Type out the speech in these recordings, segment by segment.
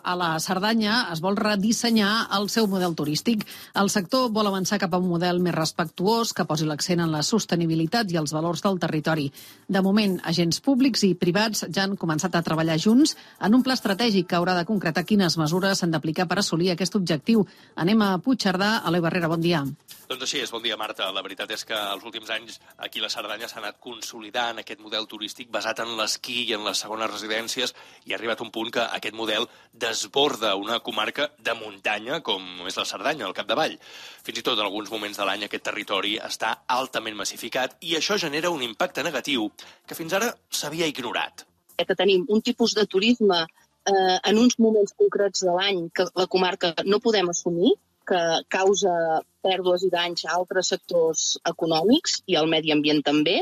a la Cerdanya es vol redissenyar el seu model turístic. El sector vol avançar cap a un model més respectuós que posi l'accent en la sostenibilitat i els valors del territori. De moment, agents públics i privats ja han començat a treballar junts en un pla estratègic que haurà de concretar quines mesures s'han d'aplicar per assolir aquest objectiu. Anem a Puigcerdà. Eloi Barrera, bon dia. Doncs així és, bon dia, Marta. La veritat és que els últims anys aquí a la Cerdanya s'ha anat consolidant aquest model turístic basat en l'esquí i en les segones residències i ha arribat un punt que aquest model desborda una comarca de muntanya com és la Cerdanya, al capdavall. Fins i tot en alguns moments de l'any aquest territori està altament massificat i això genera un impacte negatiu que fins ara s'havia ignorat. Que tenim un tipus de turisme en uns moments concrets de l'any que la comarca no podem assumir, que causa pèrdues i danys a altres sectors econòmics i al medi ambient també.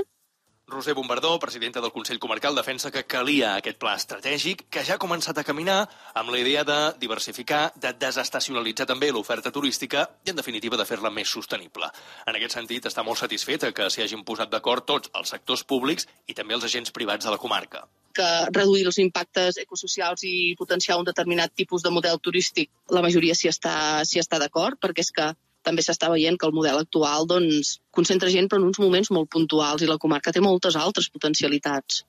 Roser Bombardó, presidenta del Consell Comarcal, defensa que calia aquest pla estratègic que ja ha començat a caminar amb la idea de diversificar, de desestacionalitzar també l'oferta turística i, en definitiva, de fer-la més sostenible. En aquest sentit, està molt satisfeta que s'hi hagin posat d'acord tots els sectors públics i també els agents privats de la comarca. Que reduir els impactes ecosocials i potenciar un determinat tipus de model turístic, la majoria s'hi està d'acord, perquè és que també s'està veient que el model actual concentra gent però en uns moments molt puntuals i la comarca té moltes altres potencialitats.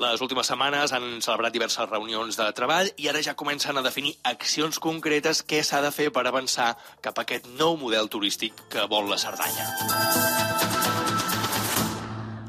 Les últimes setmanes han celebrat diverses reunions de treball i ara ja comencen a definir accions concretes què s'ha de fer per avançar cap a aquest nou model turístic que vol la Cerdanya.